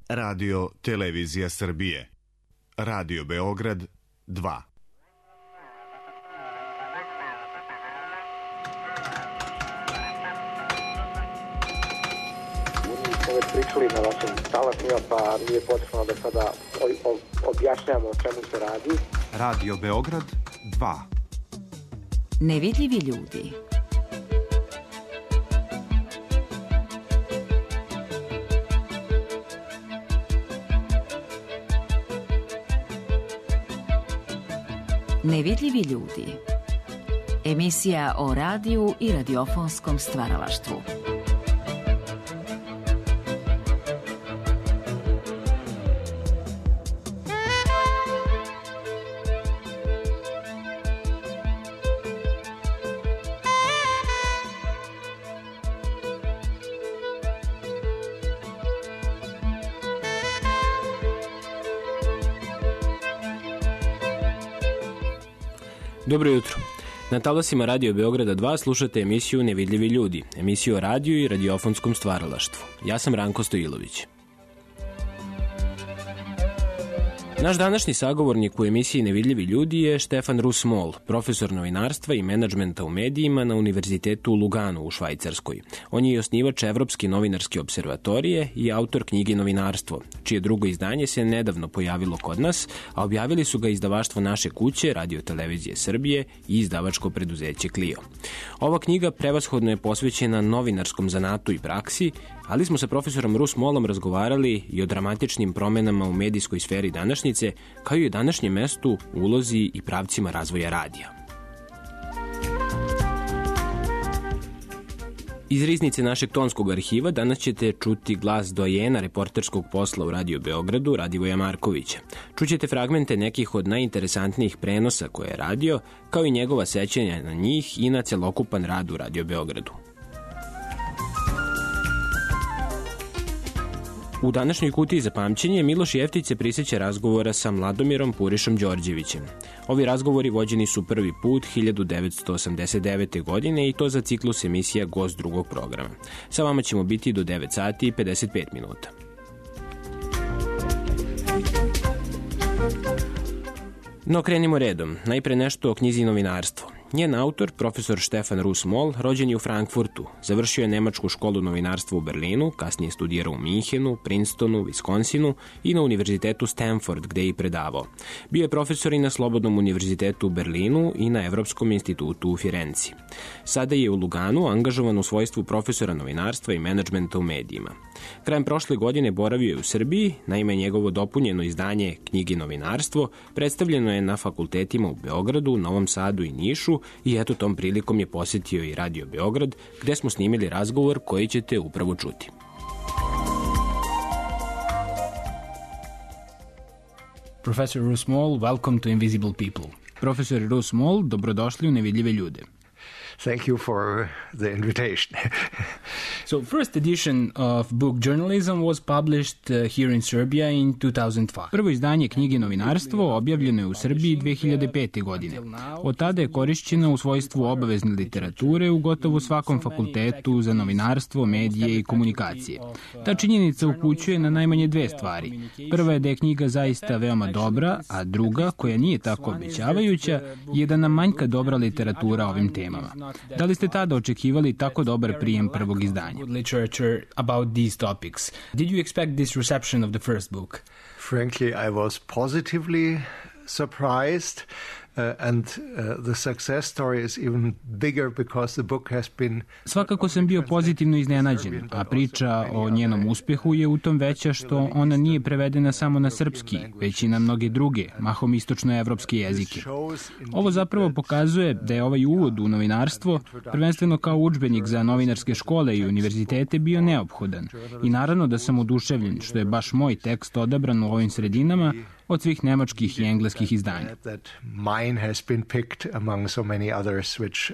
Radio Televizija Srbije. Radio Beograd 2. Pričali na vašim talasima, pa nije potrebno da sada objašnjamo o čemu se radi. Radio Beograd 2. Nevidljivi ljudi. Nevidljivi ljudi. Emisija o radiju i radiofonskom stvaralaštvu. Dobro jutro. Na talasima Radio Beograda 2 slušate emisiju Nevidljivi ljudi, emisiju o radiju i radiofonskom stvaralaštvu. Ja sam Ranko Stojilović. Naš današnji sagovornik u emisiji Nevidljivi ljudi je Štefan Rus-Moll, profesor novinarstva i menadžmenta u medijima na Univerzitetu u Luganu u Švajcarskoj. On je i osnivač Evropske novinarske observatorije i autor knjige Novinarstvo, čije drugo izdanje se nedavno pojavilo kod nas, a objavili su ga izdavaštvo Naše kuće, Radio Televizije Srbije i izdavačko preduzeće Clio. Ova knjiga prevashodno je posvećena novinarskom zanatu i praksi, ali smo sa profesorom Rus-Mollom razgovarali i o dramatičnim promenama u medijskoj sferi današnjice, kao i o današnjem mestu, ulozi i pravcima razvoja radija. Iz riznice našeg tonskog arhiva danas ćete čuti glas dojena reporterskog posla u Radio Beogradu, Radivoja Markovića. Čućete fragmente nekih od najinteresantnijih prenosa koje je radio, kao i njegova sećanja na njih i na celokupan rad u Radio Beogradu. U današnjoj kutiji za pamćenje Miloš Jeftić se prisjeća razgovora sa Mladomirom Purišom Đorđevićem. Ovi razgovori vođeni su prvi put 1989. godine i to za ciklus emisija Gost drugog programa. Sa vama ćemo biti do 9 sati i 55 minuta. No krenimo redom. Najpre nešto o knjizi Novinarstvo. Njen autor, profesor Štefan Rus-Moll, rođen je u Frankfurtu. Završio je nemačku školu novinarstva u Berlinu, kasnije studirao u Minhenu, Princetonu, Viskonsinu i na univerzitetu Stanford, gde je i predavao. Bio je profesor i na Slobodnom univerzitetu u Berlinu i na Evropskom institutu u Firenci. Sada je u Luganu angažovan u svojstvu profesora novinarstva i menadžmenta u medijima. Krajem prošle godine boravio je u Srbiji, naime njegovo dopunjeno izdanje knjige Novinarstvo predstavljeno je na fakultetima u Beogradu, Novom Sadu i Nišu i eto tom prilikom je posjetio i Radio Beograd, gde smo snimili razgovor koji ćete upravo čuti. Professor Rus-Moll, welcome to Invisible People. Profesor Rus-Moll, dobrodošli u Nevidljive ljude. Thank you for the invitation. So, first edition of book journalism was published here in Serbia in 2005. Prvo izdanje knjige Novinarstvo objavljeno je u Srbiji 2005. godine. Od tada je korišćena u svojstvu obavezne literature u gotovo svakom fakultetu za novinarstvo, medije i komunikacije. Ta činjenica upućuje na najmanje dve stvari. Prva je da je knjiga zaista veoma dobra, a druga, koja nije tako obećavajuća, je da nam manjka dobra literatura o ovim temama. Da li ste tada očekivali tako dobar prijem prvog izdanja? Literature about these topics. Did you expect this reception of the first book? Frankly, I was positively surprised. The success story is even bigger because the book has been... Svakako sam bio pozitivno iznenađen, a priča o njenom uspehu je u tom veća što ona nije prevedena samo na srpski, već i na mnoge druge, mahom istočnoevropske jezike. Ovo zapravo pokazuje da je ovaj uvod u novinarstvo, prvenstveno kao udžbenik za novinarske škole i univerzitete, bio neophodan. I naravno da sam oduševljen što je baš moj tekst odabran u ovim sredinama od svih nemačkih i engleskih izdanja. Mine has been picked among so many others which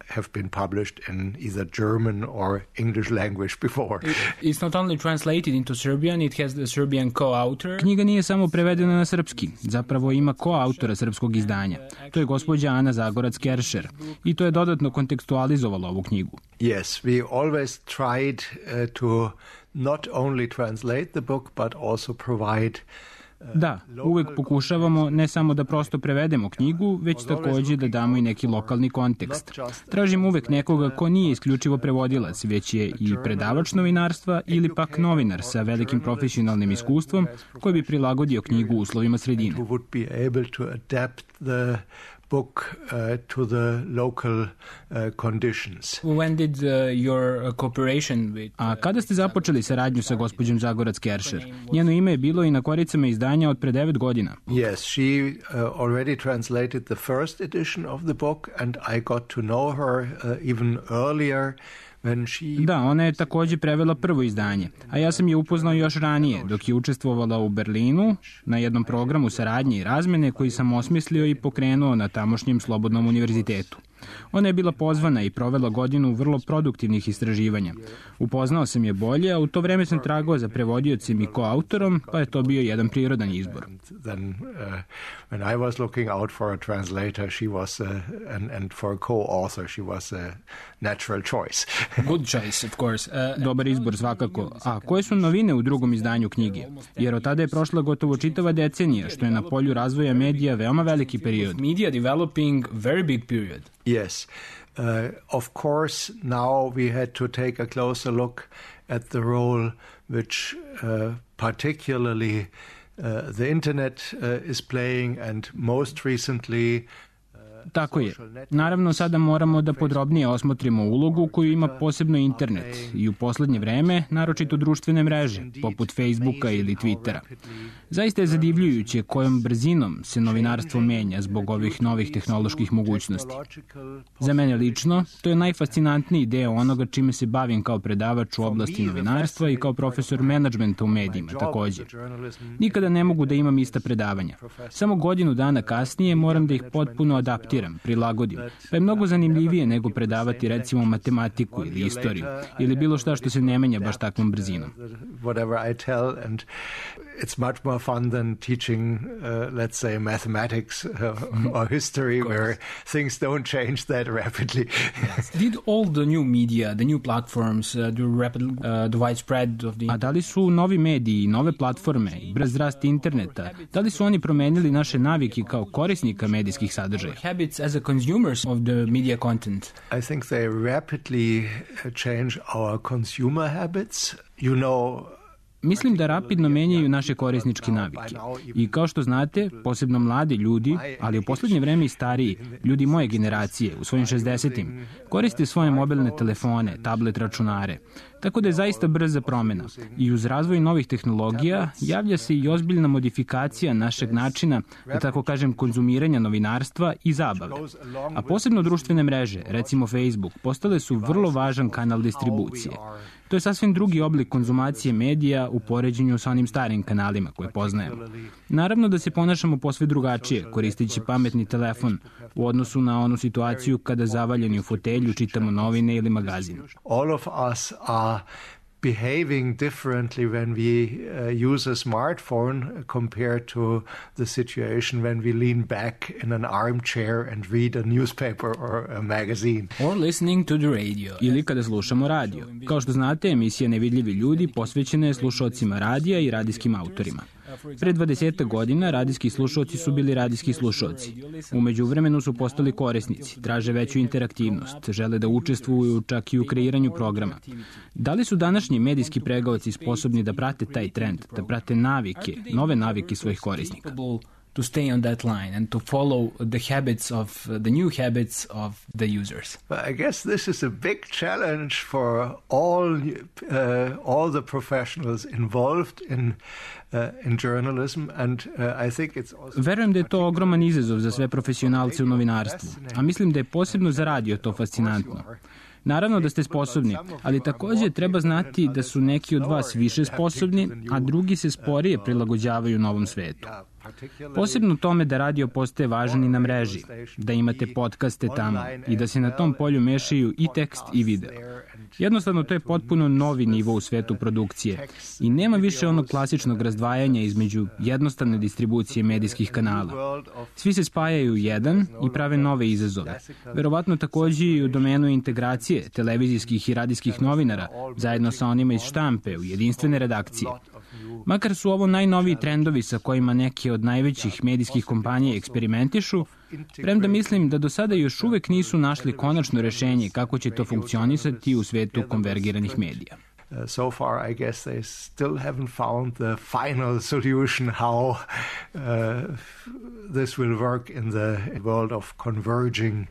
have been published in either German or English language before. It's not only translated into Serbian, it has the Serbian co-author. Knjiga nije samo prevedena na srpski, zapravo ima ko-autora srpskog izdanja. To je gospođa Ana Zagorac-Keršer i to je dodatno kontekstualizovalo ovu knjigu. Yes, we always tried to not only translate the book, but also provide Da, uvek pokušavamo ne samo da prosto prevedemo knjigu, već takođe da damo i neki lokalni kontekst. Tražim uvek nekoga ko nije isključivo prevodilac, već je i predavač novinarstva ili pak novinar sa velikim profesionalnim iskustvom koji bi prilagodio knjigu uslovima sredine. Book to the local conditions. When did your cooperation with... A kada ste započeli saradnju sa gospođom Zagorac-Keršer? Njeno ime je bilo i na koricama izdanja od pre 9 godina. Yes, she already translated the first edition of the book and I got to know her even earlier. Da, ona je takođe prevela prvo izdanje, a ja sam je upoznao još ranije, dok je učestvovala u Berlinu na jednom programu saradnje i razmene koji sam osmislio i pokrenuo na tamošnjem Slobodnom univerzitetu. Ona je bila pozvana i provela godinu vrlo produktivnih istraživanja. Upoznao sam je bolje, a u to vreme sam tragao za prevodiocem i koautorom, pa je to bio jedan prirodan izbor. Then, when I was looking out for a translator, she was and for a co-author, she was a natural choice. Good choice, of course. Dobar izbor svakako. A koje su novine u drugom izdanju knjige? Jer od tada je prošla gotovo čitava decenija, što je na polju razvoja medija veoma veliki period. Media developing very big period. Yes. Of course, now we had to take a closer look at the role which particularly the internet is playing and most recently Tako je. Naravno, sada moramo da podrobnije osmotrimo ulogu koju ima posebno internet i u poslednje vreme, naročito društvene mreže, poput Facebooka ili Twittera. Zaista je zadivljujuće kojom brzinom se novinarstvo menja zbog ovih novih tehnoloških mogućnosti. Za mene lično, to je najfascinantniji deo onoga čime se bavim kao predavač u oblasti novinarstva i kao profesor menadžmenta u medijima, takođe. Nikada ne mogu da imam ista predavanja. Samo godinu dana kasnije moram da ih potpuno adaptiram, prilagodim. Pa je mnogo zanimljivije nego predavati recimo matematiku ili istoriju ili bilo šta što se ne menja baš takvom brzinom. It's much more fun than teaching, let's say, mathematics or history where things don't change that rapidly. Did all the new media, the new platforms, the widespread of the... A da li su novi mediji, nove platforme, brz rast interneta, da li su oni promenili naše navike kao korisnika medijskih sadržaja? Habits as a consumers of the media content. I think they rapidly change our consumer habits. You know, Mislim da rapidno menjaju naše korisničke navike. I kao što znate, posebno mladi ljudi, ali u poslednje vreme i stariji, ljudi moje generacije, u svojim 60-im, koriste svoje mobilne telefone, tablet računare. Tako da je zaista brza promena. I uz razvoj novih tehnologija javlja se i ozbiljna modifikacija našeg načina, da tako kažem, konzumiranja novinarstva i zabave. A posebno društvene mreže, recimo Facebook, postale su vrlo važan kanal distribucije. To je sasvim drugi oblik konzumacije medija u poređenju sa onim starim kanalima koje poznajemo. Naravno da se ponašamo posve drugačije, koristeći pametni telefon, u odnosu na onu situaciju kada zavaljeni u fotelju čitamo novine ili magazin. All of us are behaving differently when we use a smartphone compared to the situation when we lean back in an armchair and read a newspaper or a magazine. Or listening to the radio. Ili kada slušamo radio. Kao što znate, emisija Nevidljivi ljudi posvećena je slušaocima radija i radijskim autorima. Pre 20 godina radijski slušaoci su bili radijski slušaoci. U međuvremenu su postali korisnici, traže veću interaktivnost, žele da učestvuju čak i u kreiranju programa. Da li su današnji medijski pregaoci sposobni da prate taj trend, da prate navike, nove navike svojih korisnika? To stay on that line and to follow the habits of the new habits of the users. I guess this is a big challenge for all the professionals involved in journalism and I think it's also... Verujem da je to ogroman izazov za sve profesionalce u novinarstvu, a mislim da je posebno za radio to fascinantno. Naravno da ste sposobni, ali takođe treba znati da su neki od vas više sposobni, a drugi se sporije prilagođavaju novom svetu. Posebno tome da radio postaje važan i na mreži, da imate podcaste tamo i da se na tom polju mešaju i tekst i video. Jednostavno, to je potpuno novi nivo u svetu produkcije i nema više onog klasičnog razdvajanja između jednostavne distribucije medijskih kanala. Svi se spajaju u jedan i prave nove izazove. Verovatno takođe i u domenu integracije televizijskih i radijskih novinara zajedno sa onima iz štampe u jedinstvene redakcije. Makar su ovo najnoviji trendovi sa kojima neke od najvećih medijskih kompanija eksperimentišu, premda mislim da do sada još uvek nisu našli konačno rešenje kako će to funkcionisati u svetu konvergiranih medija. So far, I guess they still haven't found the final solution how this will work in the world of converging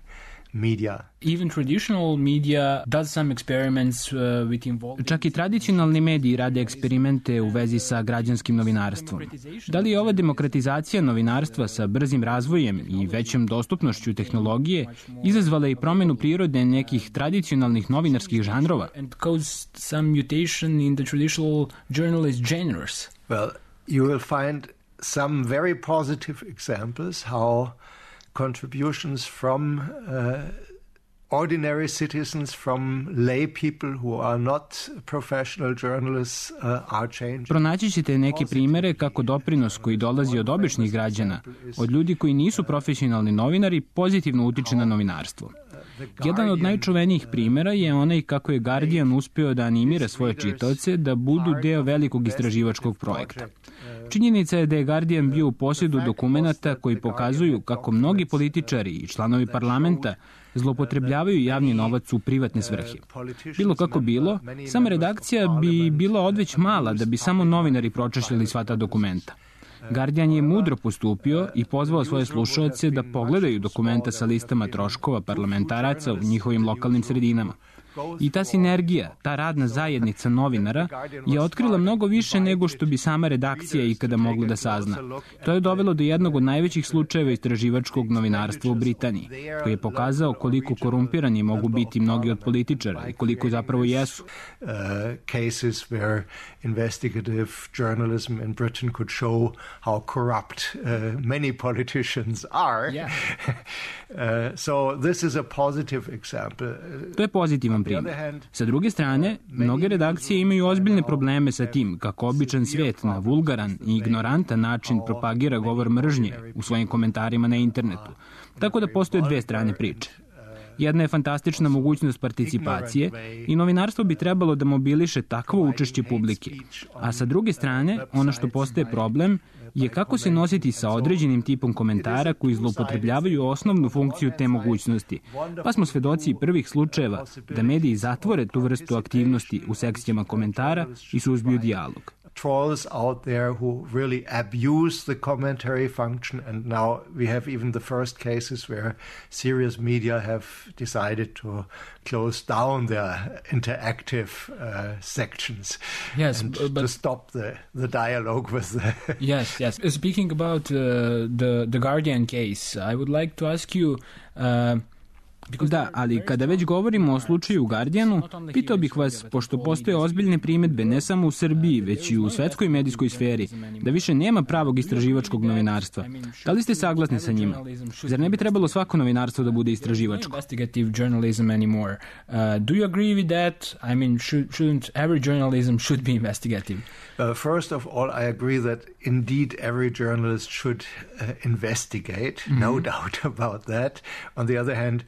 media. Even traditional media does some experiments with involving... Čak i tradicionalni mediji rade eksperimente u vezi sa građanskim novinarstvom. Da li je ova demokratizacija novinarstva sa brzim razvojem i većom dostupnošću tehnologije izazvala i promenu prirode nekih tradicionalnih novinarskih žanrova? And cause some mutation in the traditional journalist genres. Well, you will find some very positive examples how contributions from ordinary citizens, from lay people who are not professional journalists are changing. Pronaći ćete neke primere kako doprinos koji dolazi od običnih građana, od ljudi koji nisu profesionalni novinari, pozitivno utiče na novinarstvo. Jedan od najčuvenijih primera je onaj kako je Guardian uspeo da animira svoje čitaoce da budu deo velikog istraživačkog projekta. Činjenica je da je Guardian bio u posjedu dokumenata koji pokazuju kako mnogi političari i članovi parlamenta zloupotrebljavaju javni novac u privatne svrhe. Bilo kako bilo, sama redakcija bi bila odveć mala da bi samo novinari pročešljali sva ta dokumenta. Guardian je mudro postupio i pozvao svoje slušaoce da pogledaju dokumenta sa listama troškova parlamentaraca u njihovim lokalnim sredinama. I ta sinergija, ta radna zajednica novinara je otkrila mnogo više nego što bi sama redakcija ikada mogla da sazna. To je dovelo do jednog od najvećih slučajeva istraživačkog novinarstva u Britaniji, koji je pokazao koliko korumpirani mogu biti mnogi od političara i koliko zapravo jesu. Cases where investigative journalism in Britain could show how corrupt many politicians are. So this is a positive example. To je pozitivan primjer. Sa druge strane, mnoge redakcije imaju ozbiljne probleme sa tim kako običan svijet na vulgaran i ignorantan način propagira govor mržnje u svojim komentarima na internetu. Tako da postoje dve strane priče. Jedna je fantastična mogućnost participacije i novinarstvo bi trebalo da mobiliše takvo učešće publike. A sa druge strane, ono što postaje problem je kako se nositi sa određenim tipom komentara koji zloupotrebljavaju osnovnu funkciju te mogućnosti. Pa smo svedoci prvih slučajeva da mediji zatvore tu vrstu aktivnosti u sekcijama komentara i suzbiju dijalog. Trolls out there who really abuse the commentary function, and now we have even the first cases where serious media have decided to close down their interactive sections. Yes, but to stop the dialogue with the... Yes. Speaking about the Guardian case, I would like to ask you... Da, ali kada već govorimo o slučaju u Guardianu, pitao bih vas, pošto postoje ozbiljne primedbe ne samo u Srbiji, već i u svetskoj medijskoj sferi, da više nema pravog istraživačkog novinarstva. Da li ste saglasni sa njima? Zar ne bi trebalo svako novinarstvo da bude istraživačko? Investigative journalism anymore. Do you agree with that? I mean, shouldn't every journalism should be investigative? First of all, I agree that indeed every journalist should investigate, no doubt about that. On the other hand,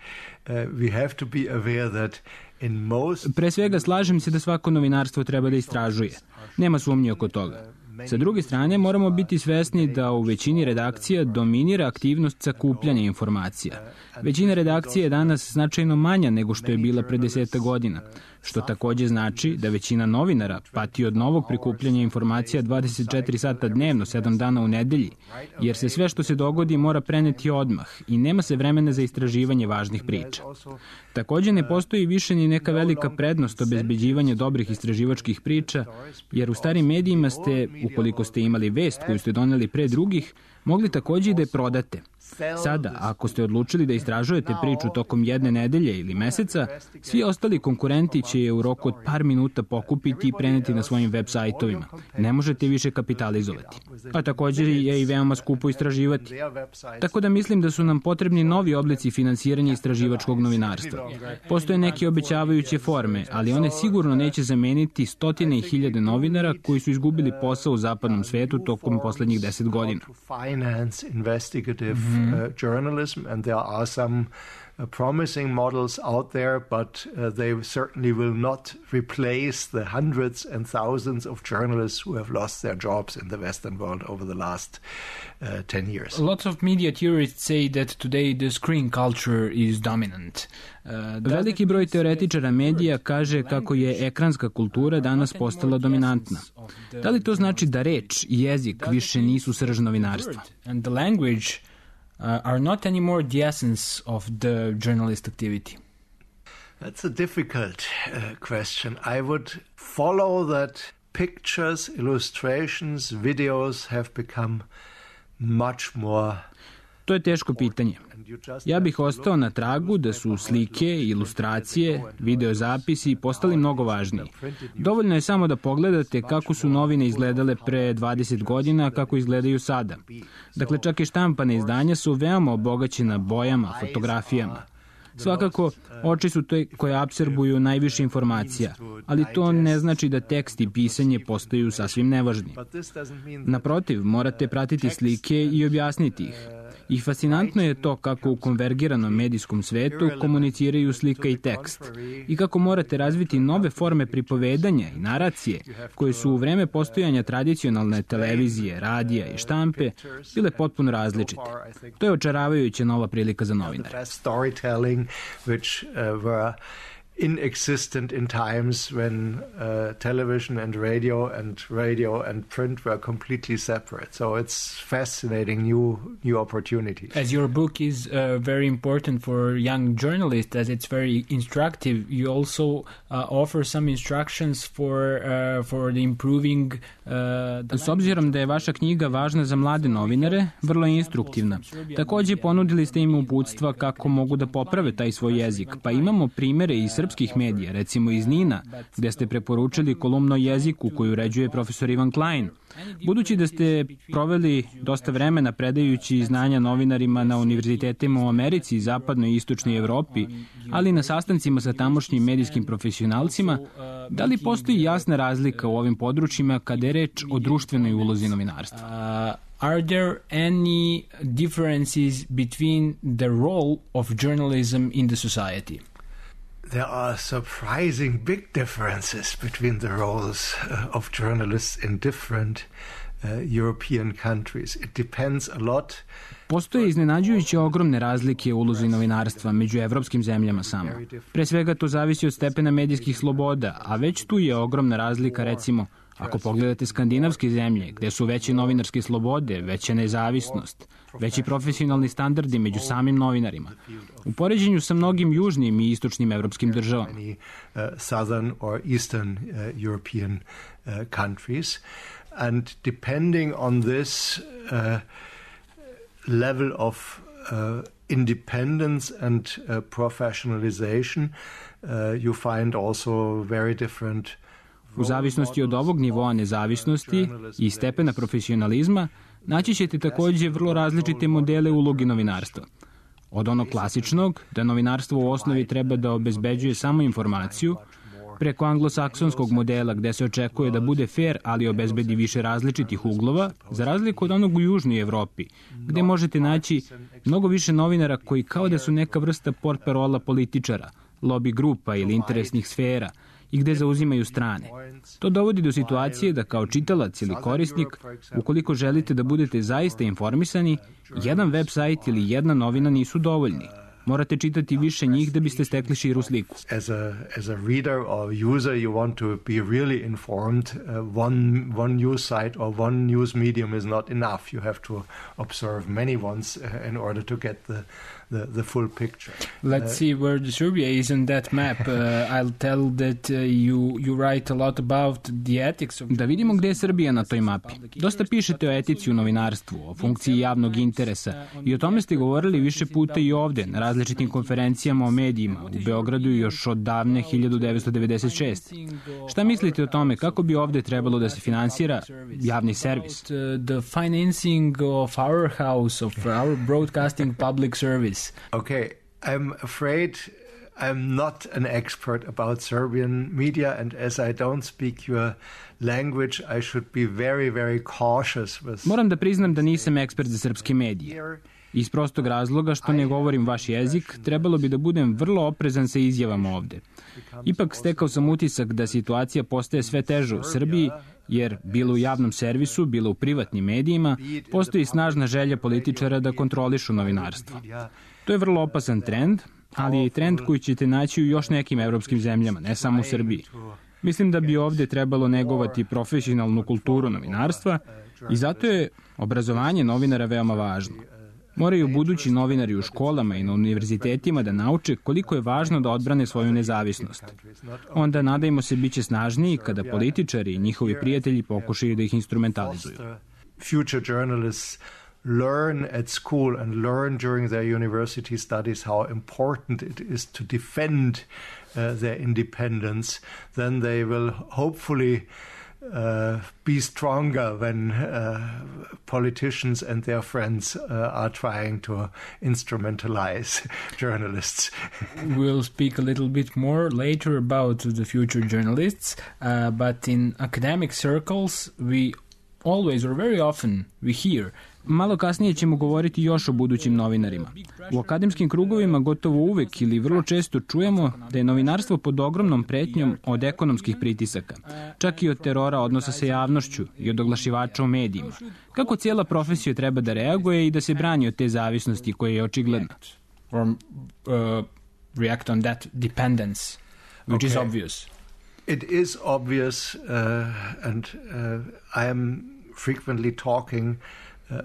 we have to be aware that in most... Pre svega slažem se da svako novinarstvo treba da istražuje. Nema sumnje oko toga. Sa druge strane, moramo biti svesni da u većini redakcija dominira aktivnost sakupljanja informacija. Većina redakcija je danas značajno manja nego što je bila pre 10 godina, što takođe znači da većina novinara pati od novog prikupljanja informacija 24 sata dnevno, 7 dana u nedelji, jer se sve što se dogodi mora preneti odmah i nema se vremena za istraživanje važnih priča. Takođe ne postoji više ni neka velika prednost obezbeđivanja dobrih istraživačkih priča, jer u starim medijima ste, ukoliko ste imali vest koju ste doneli pre drugih, mogli takođe i da je prodate. Sada, ako ste odlučili da istražujete priču tokom jedne nedelje ili meseca, svi ostali konkurenti će je u roku od par minuta pokupiti i preneti na svojim web sajtovima. Ne možete više kapitalizovati. A također je i veoma skupo istraživati. Tako da mislim da su nam potrebni novi oblici finansiranja istraživačkog novinarstva. Postoje neke obećavajuće forme, ali one sigurno neće zameniti stotine i hiljade novinara koji su izgubili posao u zapadnom svetu tokom poslednjih 10 godina. Journalism, and there are some promising models out there, but they certainly will not replace the hundreds and thousands of journalists who have lost their jobs in the Western world over the last 10 years. Lots of media theorists say that today the screen culture is dominant. Veliki broj teoretičara medija kaže kako je ekranska kultura danas postala dominantna. Da li to znači da reč i jezik više nisu srž novinarstva? And the language are not anymore the essence of the journalist activity? That's a difficult question. I would follow that pictures, illustrations, videos have become much more. To je teško pitanje. Ja bih ostao na tragu da su slike, ilustracije, videozapisi postali mnogo važniji. Dovoljno je samo da pogledate kako su novine izgledale pre 20 godina, kako izgledaju sada. Dakle, čak i štampane izdanja su veoma obogaćena bojama, fotografijama. Svakako, oči su te koje apsorbuju najviše informacija, ali to ne znači da tekst i pisanje postaju sasvim nevažni. Naprotiv, morate pratiti slike i objasniti ih. I fascinantno je to kako u konvergiranom medijskom svetu komuniciraju slika i tekst i kako morate razviti nove forme pripovedanja i naracije koje su u vreme postojanja tradicionalne televizije, radija i štampe bile potpuno različite. To je očaravajuća nova prilika za novinare. Inexistent in times when television and radio and print were completely separate. So it's fascinating new opportunities. As your book is very important for young journalists, as it's very instructive, you also offer some instructions for the improving. S obzirom da je vaša knjiga važna za mlade novinare, vrlo je instruktivna. Također ponudili ste im uputstva kako mogu da poprave taj svoj jezik, pa imamo primere iz srpskih medija, recimo iz Nina, gde ste preporučili kolumnu o jeziku koju uređuje profesor Ivan Klein. Budući da ste proveli dosta vremena predajući znanja novinarima na univerzitetima u Americi i zapadnoj i istočnoj Evropi, ali i na sastancima sa tamošnjim medijskim profesionalcima, da li postoji jasna razlika u ovim područjima kada je reč o društvenoj ulozi novinarstva? Are there any differences between the role of journalism in the society? There are surprising big differences between the roles of journalists in different European countries. It depends a lot. Postoje iznenađujuće ogromne razlike u ulozi novinarstva među evropskim zemljama samo. Pre svega to zavisi od stepena medijskih sloboda, a već tu je ogromna razlika, recimo, ako pogledate skandinavske zemlje, gde su veće novinarske slobode, veća nezavisnost, veći profesionalni standardi među samim novinarima, u poređenju sa mnogim južnim i istočnim evropskim državama. Southern or Eastern European countries. And depending on this level of independence and professionalization, you find also very different. U zavisnosti od ovog nivoa nezavisnosti i stepena profesionalizma, naći ćete također vrlo različite modele ulogi novinarstva. Od onog klasičnog, da novinarstvo u osnovi treba da obezbeđuje samo informaciju, preko anglosaksonskog modela gde se očekuje da bude fair, ali obezbedi više različitih uglova, za razliku od onog u Južnoj Evropi, gde možete naći mnogo više novinara koji kao da su neka vrsta portparola političara, lobby grupa ili interesnih sfera, i gde zauzimaju strane. To dovodi do situacije da kao čitalac ili korisnik, ukoliko želite da budete zaista informisani, jedan web sajt ili jedna novina nisu dovoljni. Morate čitati više njih da biste stekli širu sliku. As a reader or user, you want to be really informed. One news site or one news medium is not enough. You have to observe many ones in order to get the full picture. Let's see where Serbia is on that map. I'll tell that you write a lot about the ethics of... Da vidimo gde je Srbija na toj mapi. Dosta pišete o etici u novinarstvu, o funkciji javnog interesa i o tome ste govorili više puta i ovde, na različitim konferencijama o medijima, u Beogradu još od davne 1996. Šta mislite o tome, kako bi ovde trebalo da se finansira javni servis? The financing of our house, of our broadcasting public service. Okay, I'm afraid I'm not an expert about Serbian media, and as I don't speak your language, I should be very, very cautious with... Moram da priznam da nisam ekspert za srpske medije. Iz prostog razloga što ne govorim vaš jezik, trebalo bi da budem vrlo oprezan sa izjavama ovde. Ipak stekao sam utisak da situacija postaje sve teža u Srbiji, jer bilo u javnom servisu, bilo u privatnim medijima, postoji snažna želja političara da kontrolišu novinarstvo. To je vrlo opasan trend, ali je i trend koji ćete naći u još nekim evropskim zemljama, ne samo u Srbiji. Mislim da bi ovde trebalo negovati profesionalnu kulturu novinarstva i zato je obrazovanje novinara veoma važno. Moraju budući novinari u školama i na univerzitetima da nauče koliko je važno da odbrane svoju nezavisnost. Onda, nadajmo se, bit će snažniji kada političari i njihovi prijatelji pokušaju da ih instrumentalizuju. Future journalists learn at school and learn during their university studies how important it is to defend their independence, then they will hopefully be stronger when politicians and their friends are trying to instrumentalize journalists. We'll speak a little bit more later about the future journalists, but in academic circles we always or very often we hear. Malo kasnije ćemo govoriti još o budućim novinarima. U akademskim krugovima gotovo uvek ili vrlo često čujemo da je novinarstvo pod ogromnom pretnjom od ekonomskih pritisaka, čak i od terora odnosa sa javnošću i od oglašivača u medijima. Kako cijela profesija treba da reaguje i da se brani od te zavisnosti koja je očigledna? Or react on that dependence, which is obvious. It is obvious, and I am frequently talking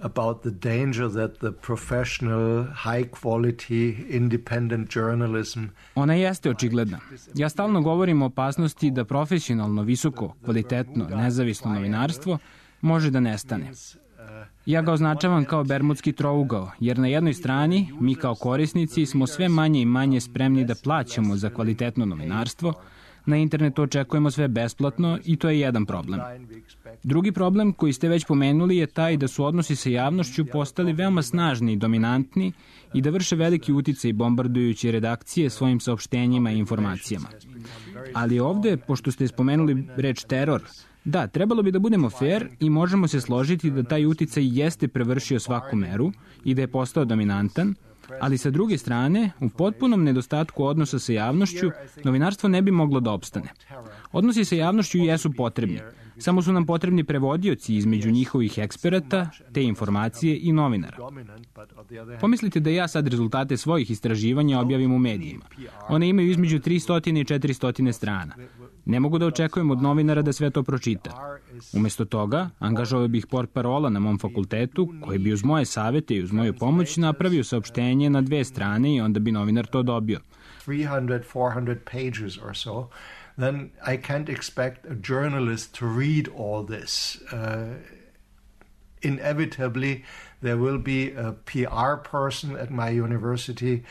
about the danger that the professional, high-quality, independent journalism... Ona jeste očigledna. Ja stalno govorim o opasnosti da profesionalno, visoko, kvalitetno, nezavisno novinarstvo može da nestane. Ja ga označavam kao bermudski trougao, jer na jednoj strani mi kao korisnici smo sve manje i manje spremni da plaćamo za kvalitetno novinarstvo, na internetu očekujemo sve besplatno i to je jedan problem. Drugi problem koji ste već pomenuli je taj da su odnosi sa javnošću postali veoma snažni i dominantni i da vrše veliki uticaj bombardujući redakcije svojim saopštenjima i informacijama. Ali ovde, pošto ste spomenuli reč teror, da, trebalo bi da budemo fair i možemo se složiti da taj uticaj jeste prevršio svaku meru i da je postao dominantan, ali sa druge strane, u potpunom nedostatku odnosa sa javnošću, novinarstvo ne bi moglo da opstane. Odnosi sa javnošću jesu potrebni, samo su nam potrebni prevodioci između njihovih eksperata, te informacije i novinara. Pomislite da ja sad rezultate svojih istraživanja objavim u medijima. One imaju između 300 i 400 strana. Ne mogu da očekujem od novinara da sve to pročita. Umjesto toga, angažovao bih portparola na mom fakultetu, koji bi uz moje savete i uz moju pomoć napravio saopštenje na 2 strane i onda bi novinar to dobio. 300-400 pages or so, then I can't expect a journalist to read all this. Inevitably, there will be a PR person at my university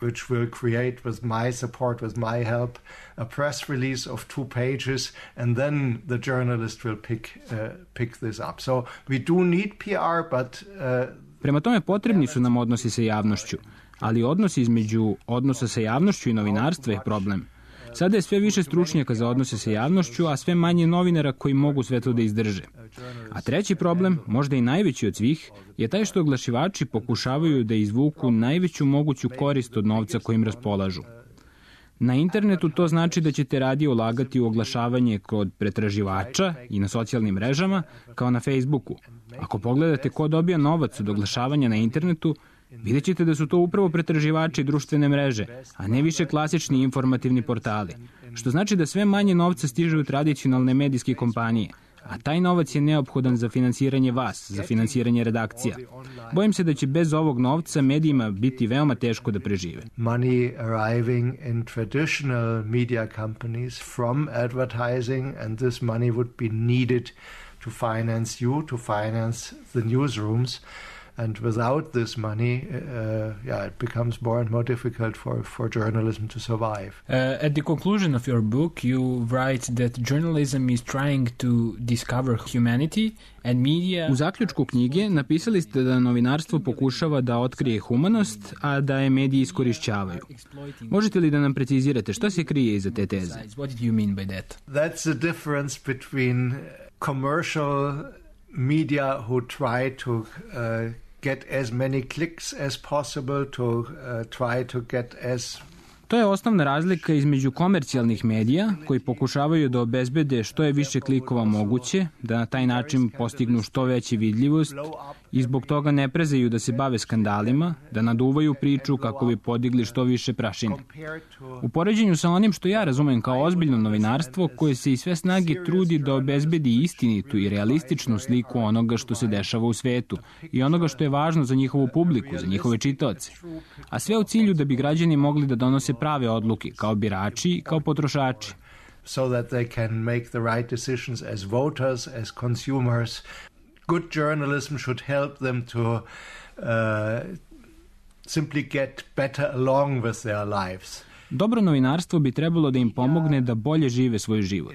which will create, with my support, with my help, a press release of 2 pages, and then the journalist will pick this up. So we do need PR, but... Prema tome potrebni su nam odnosi sa javnošću, ali odnos između odnosa sa javnošću i novinarstva je problem. Sada je sve više stručnjaka za odnose sa javnošću, a sve manje novinara koji mogu sve to da izdrže. A treći problem, možda i najveći od svih, je taj što oglašivači pokušavaju da izvuku najveću moguću korist od novca kojim raspolažu. Na internetu to znači da ćete radije ulagati u oglašavanje kod pretraživača i na socijalnim mrežama, kao na Facebooku. Ako pogledate ko dobija novac od oglašavanja na internetu, Vidjet ćete da su to upravo pretraživači društvene mreže, a ne više klasični informativni portali. Što znači da sve manje novca stiže u tradicionalne medijske kompanije, a taj novac je neophodan za finansiranje vas, za finansiranje redakcija. Bojim se da će bez ovog novca medijima biti veoma teško da prežive. Money arriving in traditional media companies from advertising, and this money would be needed to finance you, to finance the newsrooms. And without this money, it becomes more and more difficult for journalism to survive. At the conclusion of your book, you write that journalism is trying to discover humanity and media... U zaključku knjige napisali ste da novinarstvo pokušava da otkrije humanost, a da je mediji iskorišćavaju. Možete li da nam precizirate šta se krije iza te teze? What did you mean by that? That's the difference between commercial media who try to get as many clicks as possible, to try to get as... To je osnovna razlika između komercijalnih medija koji pokušavaju da obezbede što je više klikova moguće, da na taj način postignu što veću vidljivost i zbog toga ne prezaju da se bave skandalima, da naduvaju priču kako bi podigli što više prašine. U poređenju sa onim što ja razumem kao ozbiljno novinarstvo koje se iz sve snage trudi da obezbedi istinitu i realističnu sliku onoga što se dešava u svetu i onoga što je važno za njihovu publiku, za njihove čitaoce. A sve u cilju da bi građani mogli da donose prave odluke kao birači i kao potrošači. So that they can make the right decisions as voters, as consumers. Good journalism should help them to simply get better along with their lives. Dobro novinarstvo bi trebalo da im pomogne da bolje žive svoj život.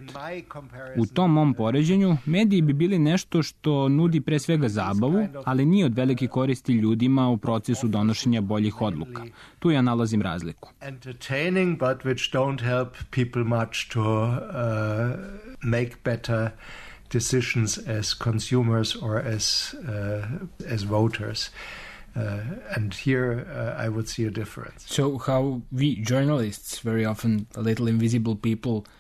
U tom mom poređenju, mediji bi bili nešto što nudi pre svega zabavu, ali nije od velike koristi ljudima u procesu donošenja boljih odluka. Tu ja nalazim razliku. Entertaining, but which don't help people much to make better decisions as consumers or as voters. And here I would see a difference. So how we journalists, very often a little invisible people,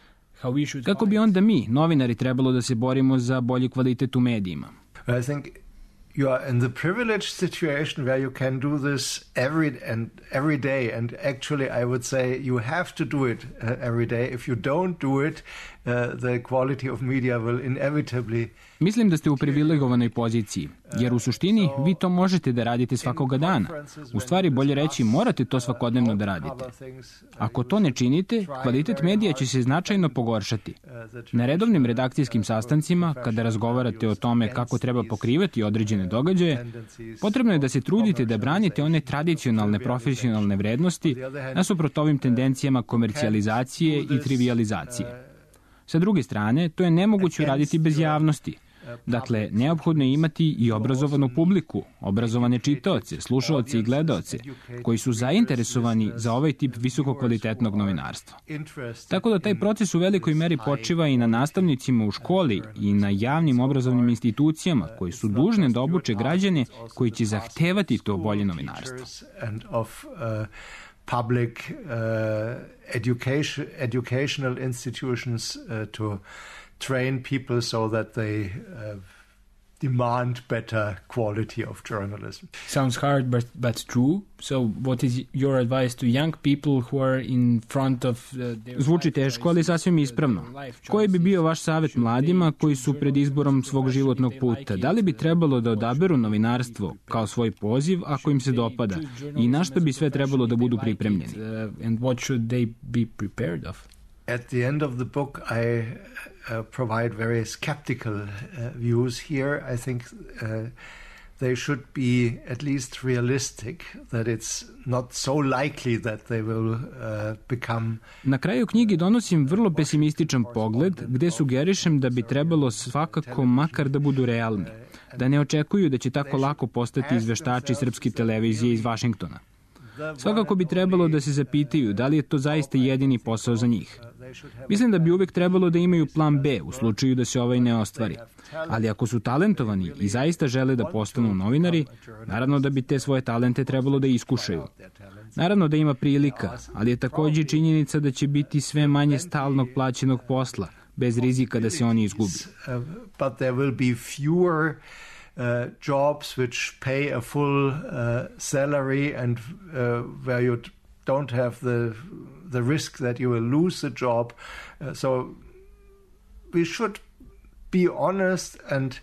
how we should... Kako bi onda mi, novinari, trebalo da se borimo za bolji kvalitet u medijima? I think you are in the privileged situation where you can do this every day, and actually I would say you have to do it every day. If you don't do it, the quality of media will inevitably... Mislim da ste u privilegovanoj poziciji, jer u suštini vi to možete da radite svakoga dana. U stvari, bolje reći, morate to svakodnevno da radite. Ako to ne činite, kvalitet medija će se značajno pogoršati. Na redovnim redakcijskim sastancima, kada razgovarate o tome kako treba pokrivati određene događaje, potrebno je da se trudite da branite one tradicionalne profesionalne vrednosti nasuprot ovim tendencijama komercijalizacije i trivializacije. Sa druge strane, to je nemoguće uraditi bez javnosti. Dakle, neophodno je imati i obrazovanu publiku, obrazovane čitaoce, slušaoce i gledaoce, koji su zainteresovani za ovaj tip visokokvalitetnog novinarstva. Tako da taj proces u velikoj meri počiva i na nastavnicima u školi i na javnim obrazovnim institucijama koji su dužne da obuče građane koji će zahtevati to bolje novinarstvo. Public educational institutions to train people so that they demand better quality of journalism. Sounds hard, but true. So what is your advice to young people who are in front of Zvuči teško, ali sasvim ispravno. Koji bi bio vaš savjet mladima koji su pred izborom svog životnog puta? Da li bi trebalo da odaberu novinarstvo kao svoj poziv ako im se dopada? I na što bi sve trebalo da budu pripremljeni? And what should they be prepared of? At the end of the book, I provide very skeptical views here. I think they should be at least realistic, that it's not so likely that they will become... Na kraju knjige donosim vrlo pesimističan pogled, gde sugerišem da bi trebalo svakako makar da budu realni, da ne očekuju da će tako lako postati izveštači srpske televizije iz Vašingtona. Svakako bi trebalo da se zapitaju da li je to zaista jedini posao za njih. Mislim da bi uvek trebalo da imaju plan B u slučaju da se ovaj ne ostvari. Ali ako su talentovani i zaista žele da postanu novinari, naravno da bi te svoje talente trebalo da iskušaju. Naravno da ima prilika, ali je takođe činjenica da će biti sve manje stalnog plaćenog posla, bez rizika da se oni izgubi. But there will be fewer jobs which pay a full salary and where you don't have the risk that you will lose the job. So we should be honest and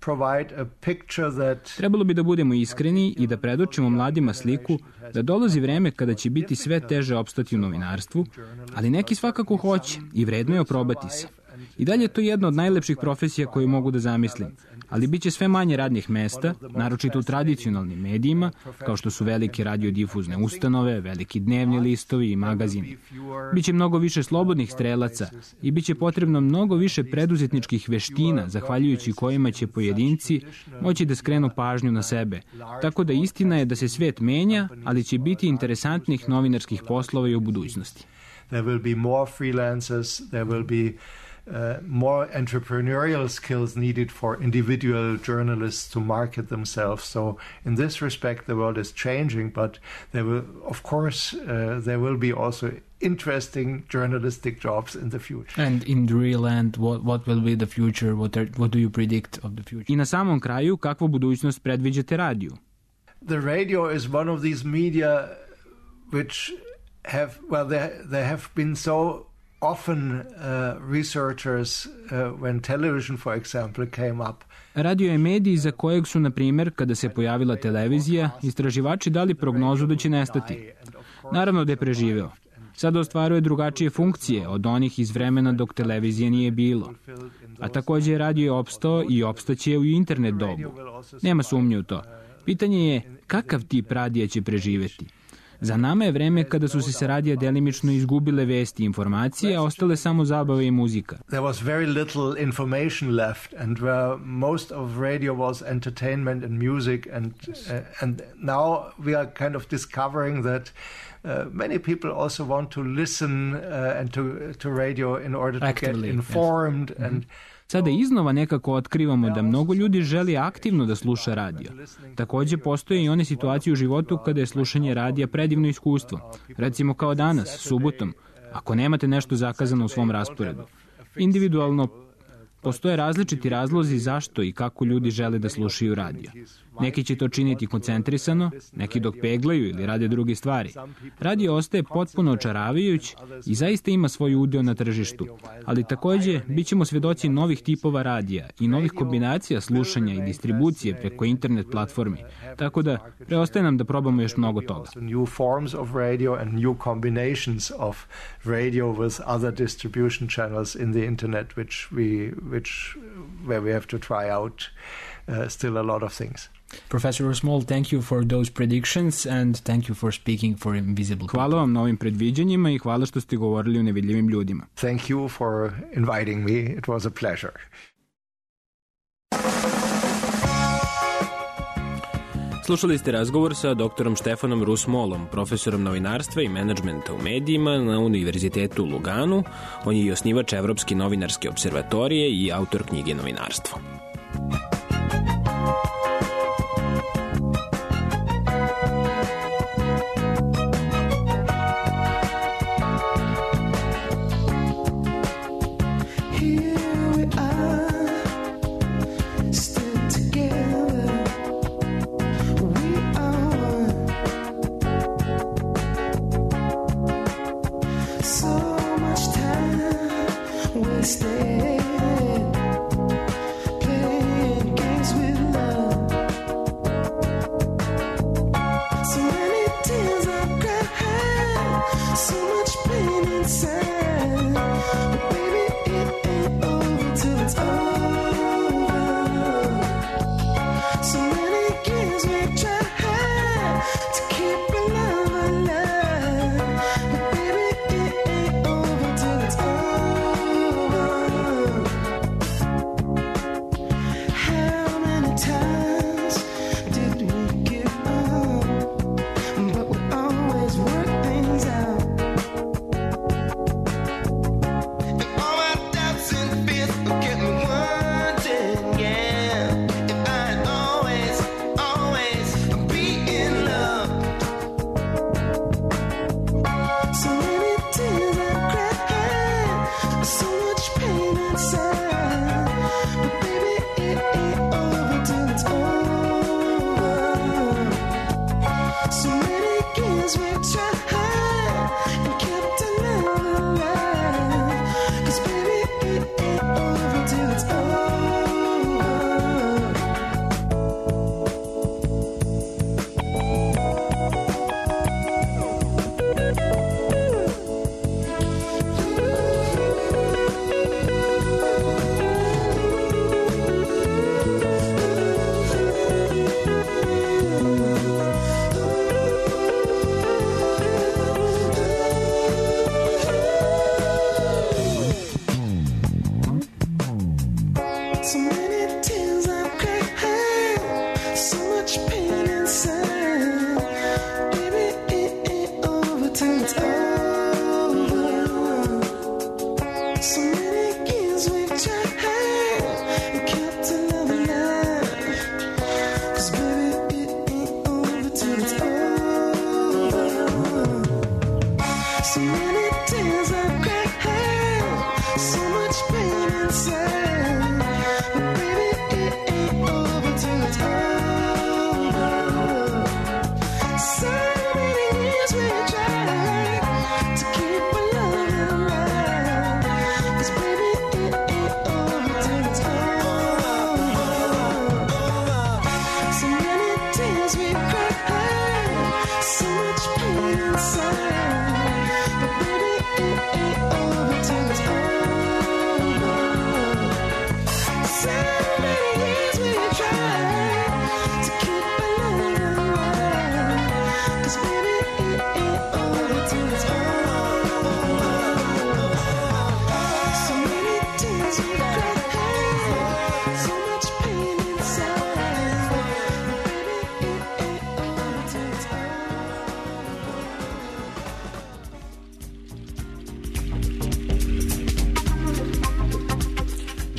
provide a picture that... Trebalo bi da budemo iskreni i da predočimo mladima sliku da dolazi vreme kada će biti sve teže opstati u novinarstvu, ali neki svakako hoće i vredno je oprobati se. I dalje je to jedna od najlepših profesija koju mogu da zamislim, ali bit će sve manje radnih mesta, naročito u tradicionalnim medijima, kao što su velike radiodifuzne ustanove, veliki dnevni listovi i magazini. Biće mnogo više slobodnih strelaca i biće potrebno mnogo više preduzetničkih veština, zahvaljujući kojima će pojedinci moći da skrenu pažnju na sebe. Tako da istina je da se svet menja, ali će biti interesantnih novinarskih poslova i u budućnosti. There will be more freelancers, there will be more entrepreneurial skills needed for individual journalists to market themselves. So in this respect, the world is changing, but there will, of course, there will be also interesting journalistic jobs in the future. And in the real end, what will be the future? What do you predict of the future? I na samom kraju, kakvu budućnost predviđate radiju? The radio is one of these media which have, well, there have been so often researchers when television, for example, came up. Radio je medij za kojeg su, na primjer, kada se pojavila televizija, istraživači dali prognozu da će nestati. Naravno da je preživeo. Sada ostvaruje drugačije funkcije od onih iz vremena dok televizije nije bilo. A također radio je opstao i opstaće u internet dobu. Nema sumnje u to. Pitanje je kakav tip radija će preživeti. Za nama je vreme kada su se sa radija delimično izgubile vesti i informacije, a ostale samo zabave i muzika. There was very little information left and where most of radio was entertainment and music and now we are kind of discovering that many people also want to listen and to radio in order to Actively, get informed yes. and Sada iznova nekako otkrivamo da mnogo ljudi želi aktivno da sluša radio. Također postoje i one situacije u životu kada je slušanje radija predivno iskustvo. Recimo kao danas, subotom, ako nemate nešto zakazano u svom rasporedu. Individualno postoje različiti razlozi zašto i kako ljudi žele da slušaju radio. Neki će to činiti koncentrisano, neki dok peglaju ili rade druge stvari. Radio ostaje potpuno očaravajuć i zaista ima svoj udeo na tržištu, ali također bit ćemo svedoci novih tipova radija i novih kombinacija slušanja i distribucije preko internet platformi, tako da preostaje nam da probamo još mnogo toga. New forms of radio and new combinations of radio with other distribution channels in the internet where we have to try out still a lot of things. Professor Small, thank you for those predictions and thank you for speaking for invisible people. Hvala vam na ovim predviđanjima i hvala što ste govorili o nevidljivim ljudima. Thank you for inviting me. It was a pleasure. Slušali ste razgovor sa doktorom Štefanom Rusmolom, profesorom novinarstva i menadžmenta u medijima na Univerzitetu u Luganu. On je i osnivač Evropske novinarske observatorije i autor knjige Novinarstvo. So much pain inside, but baby, it ain't over till it's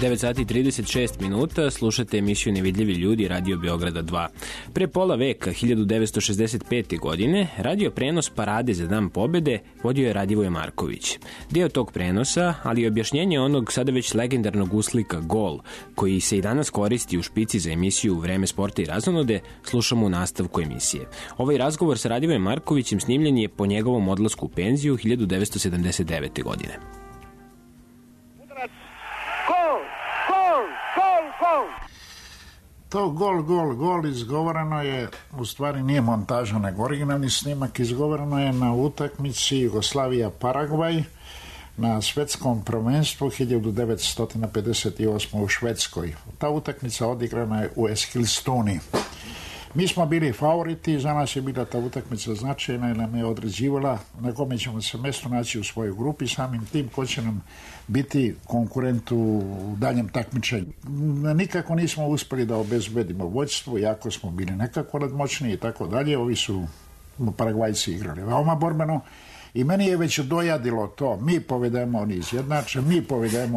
9 sati 36 minuta, slušate emisiju Nevidljivi ljudi Radio Beograda 2. Pre pola veka, 1965. godine, radio prenos parade za Dan pobede vodio je Radivoje Marković. Deo tog prenosa, ali i objašnjenje onog sada već legendarnog uslika Gol, koji se i danas koristi u špici za emisiju Vreme sporta i razonode, slušamo u nastavku emisije. Ovaj razgovor sa Radivojem Markovićem snimljen je po njegovom odlasku u penziju 1979. godine. To gol izgovoreno je, u stvari nije montaža, nego originalni snimak, izgovoreno je na utakmici Jugoslavija-Paragvaj na svetskom prvenstvu 1958. u Švedskoj. Ta utakmica odigrana je u Eskilstuni. Mi smo bili favoriti, za nas je bila ta utakmica značajna i nam je određivala na kome ćemo se mjesto naći u svojoj grupi, samim tim ko će nam biti konkurent u daljem takmičenju. Nikako nismo uspjeli da obezbedimo vođstvo, jako smo bili nekako nadmoćni i tako dalje. Ovi su Paragvajci igrali veoma borbeno i meni je već dojadilo to. Mi povedemo,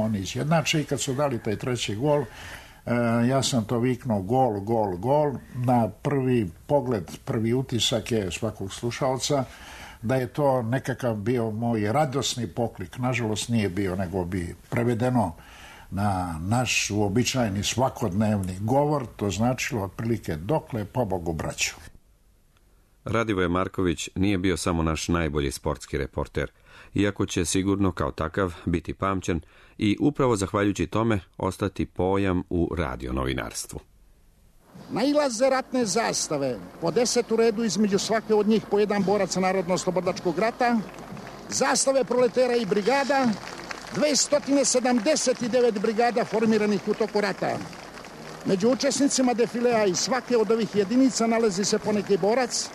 oni izjednače i kad su dali taj treći gol, ja sam to viknuo gol. Na prvi pogled, prvi utisak je svakog slušalca da je to nekakav bio moj radosni poklik. Nažalost nije bio, nego bi prevedeno na naš uobičajeni svakodnevni govor, to značilo otprilike dokle pobogu braću. Radivoje Marković nije bio samo naš najbolji sportski reporter, iako će sigurno kao takav biti pamćen i upravo zahvaljujući tome ostati pojam u radionovinarstvu. Nailaze ratne zastave, po 10 u redu, između svake od njih po jedan borac Narodno-slobodačkog rata, zastave proletera i brigada, 279 brigada formiranih u toku rata. Među učesnicima defilea iz svake od ovih jedinica nalazi se poneki borac.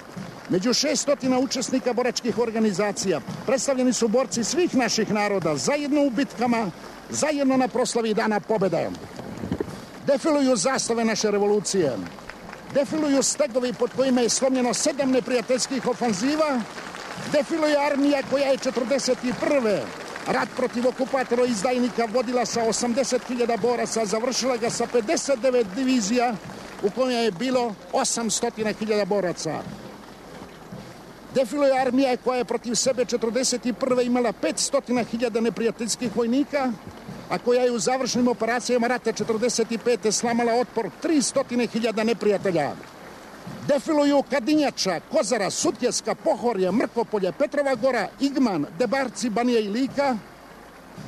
Među 600 učesnika boračkih organizacija predstavljeni su borci svih naših naroda, zajedno u bitkama, zajedno na proslavi Dana pobjede. Defiluju zastave naše revolucije, defiluju stegovi pod kojima je slomljeno 7 neprijateljskih ofanziva, defiluje armija koja je 1941. rat protiv okupatora izdajnika vodila sa 80.000 boraca, završila ga sa 59 divizija u kojoj je bilo 800.000 boraca. Defiluje armija koja je protiv sebe 1941. imala 500.000 neprijateljskih vojnika, a koja je u završnim operacijama rata 1945. slamala otpor 300.000 neprijatelja. Defiluju Kadinjača, Kozara, Sutjeska, Pohorje, Mrkopolje, Petrova Gora, Igman, Debarci, Banija i Lika.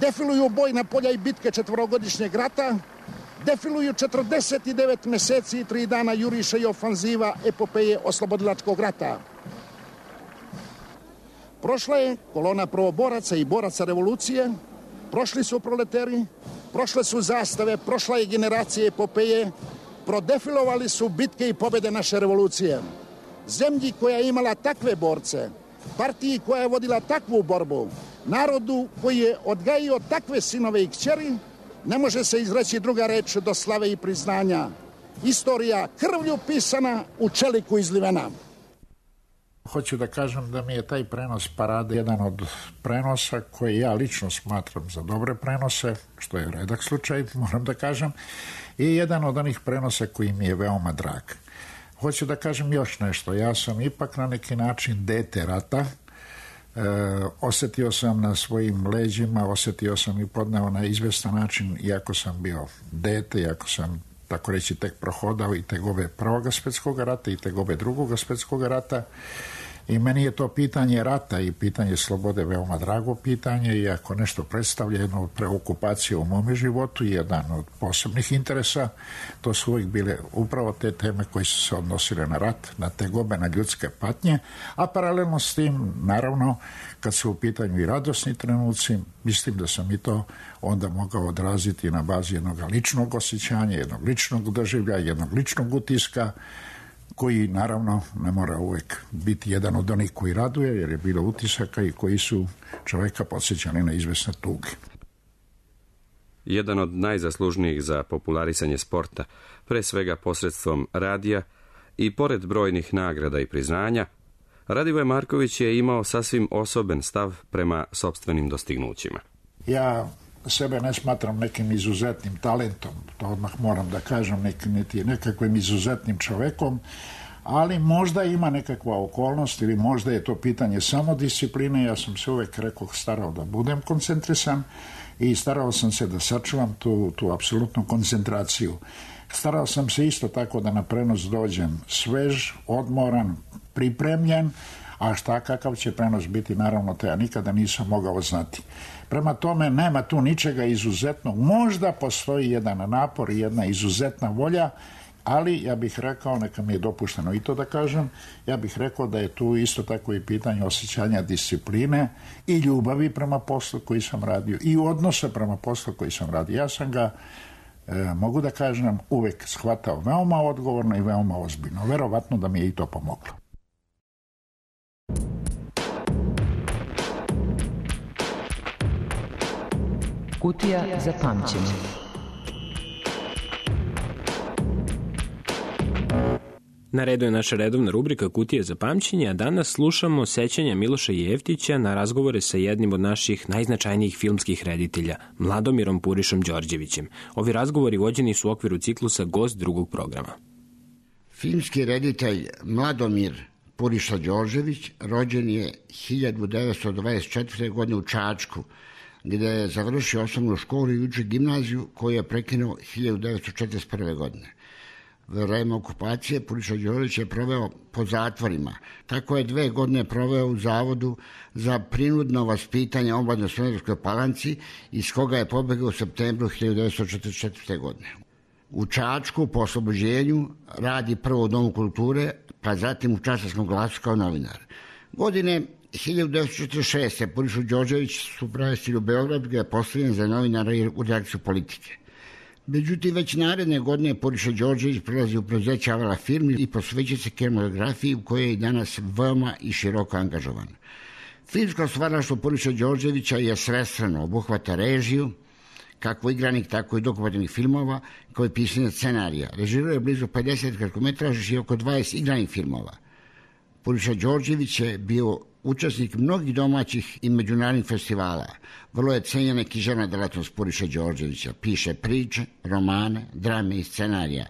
Defiluju bojna polja i bitke 4-godišnjeg rata. Defiluju 49 mjeseci i 3 dana juriša i ofanziva epopeje oslobodilačkog rata. Prošla je kolona prvoboraca i boraca revolucije, prošli su proleteri, prošle su zastave, prošla je generacija epopeje, prodefilovali su bitke i pobjede naše revolucije. Zemlji koja je imala takve borce, partiji koja je vodila takvu borbu, narodu koji je odgajio takve sinove i kćeri, ne može se izreći druga reč do slave i priznanja. Istorija krvlju pisana, u čeliku izlivena. Hoću da kažem da mi je taj prenos parade jedan od prenosa koji ja lično smatram za dobre prenose, što je redak slučaj, moram da kažem, i jedan od onih prenosa koji mi je veoma drag. Hoću da kažem još nešto. Ja sam ipak na neki način dete rata. Osjetio sam na svojim leđima, osjetio sam i podneo na izvestan način, iako sam bio dete, iako sam tako reći tek prohodao i tegove Prvog svjetskog rata i tegove Drugog svjetskog rata. I meni je to pitanje rata i pitanje slobode veoma drago pitanje, i ako nešto predstavlja jednu preokupaciju u mome životu i jedan od posebnih interesa, to su uvijek bile upravo te teme koje su se odnosile na rat, na tegobe, na ljudske patnje, a paralelno s tim, naravno, kad su u pitanju i radosni trenuci, mislim da sam i to onda mogao odraziti na bazi jednog ličnog osjećanja, jednog ličnog doživlja, jednog ličnog utiska, koji naravno ne mora uvijek biti jedan od onih koji raduje, jer je bilo utisaka i koji su čovjeka podsjećali na izvesne tuge. Jedan od najzaslužnijih za popularisanje sporta, pre svega posredstvom radija i pored brojnih nagrada i priznanja, Radivoje Marković je imao sasvim osoben stav prema sopstvenim dostignućima. Ja sebe ne smatram nekim izuzetnim talentom, to odmah moram da kažem, niti nekakvim izuzetnim čovekom, ali možda ima nekakva okolnost ili možda je to pitanje samodiscipline. Ja sam se uvek starao da budem koncentrisan i starao sam se da sačuvam tu apsolutnu koncentraciju. Starao sam se isto tako da na prenos dođem svež, odmoran, pripremljen, a šta kakav će prenos biti, naravno to ja nikada nisam mogao znati. Prema tome nema tu ničega izuzetnog, možda postoji jedan napor i jedna izuzetna volja, ali ja bih rekao, neka mi je dopušteno i to da kažem, ja bih rekao da je tu isto tako i pitanje osjećanja discipline i ljubavi prema poslu koji sam radio i odnosa prema poslu koji sam radio. Ja sam ga, mogu da kažem, uvek shvatao veoma odgovorno i veoma ozbiljno. Verovatno da mi je i to pomoglo. Kutija za pamćenje. Na redu je naša redovna rubrika Kutija za pamćenje, a danas slušamo sećanja Miloša Jeftića na razgovore sa jednim od naših najznačajnijih filmskih reditelja, Mladomirom Purišom Đorđevićem. Ovi razgovori vođeni su u okviru ciklusa Gost drugog programa. Filmski reditelj Mladomir Puriša Đorđević rođen je 1924. godine u Čačku, gdje je završio osnovnu školu i učio gimnaziju koju je prekinuo 1941. godine. Vreme okupacije Puriša Đorđević je proveo po zatvorima. Tako je 2 godine proveo u Zavodu za prinudno vaspitanje omladine u Smederevskoj Palanci, iz koga je pobegao u septembru 1944. godine. U Čačku po oslobođenju radi prvo u Domu kulture, pa zatim u Čačarskom glasu kao novinar. Godine 1946. Purišu Đorđević su prevestili u Beograd, gdje je postavljen za novinara u redakciju Politike. Međutim, već naredne godine Puriša Đorđević prelazi u preduzeće Avala Film i posvećuje se kinematografiji u kojoj je danas veoma i široko angažovan. Filmsko stvaralaštvo Puriša Đorđevića je svestrano, obuhvata režiju, kako igranih, tako i dokumentarnih filmova, kao i pisanje scenarija. Režirao je blizu 50 kratkometraža i oko 20 igranih filmova. Puriša Đorđević je bio učesnik mnogih domaćih i međunarodnih festivala. Vrlo je cenjena književna delatnost Puriša Đorđevića. Piše priče, romane, drame i scenarija.